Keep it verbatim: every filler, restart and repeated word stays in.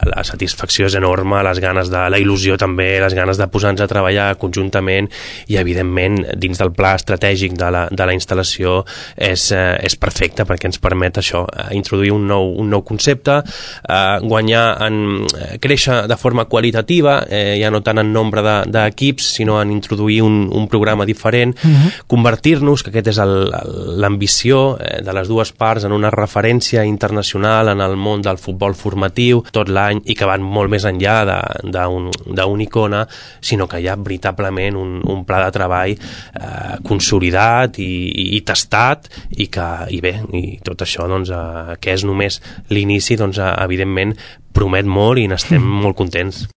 la satisfacció és enorme, les ganes de la il·lusió també, les ganes de posar-nos a treballar conjuntament i evidentment dins del pla estratègic de la, de la instal·lació és, eh, és perfecte perquè ens permet això, eh, introduir un nou, un nou concepte, eh, guanyar en, eh, créixer de forma qualitativa, eh, ja no tant en nombre d'equips, de, sinó en introduir un, un programa diferent, uh-huh. convertir-nos, que aquest és l'ambició eh, de les dues parts, en una referència internacional en el món del futbol formatiu tot l'any i que van molt més enllà d'una un, icona, sinó que hi ha veritablement un, un pla de treball eh, consolidat i, i, i tastat i que, i bé, i tot això doncs, eh, que és només l'inici, doncs, eh, evidentment promet molt i n'estem molt contents.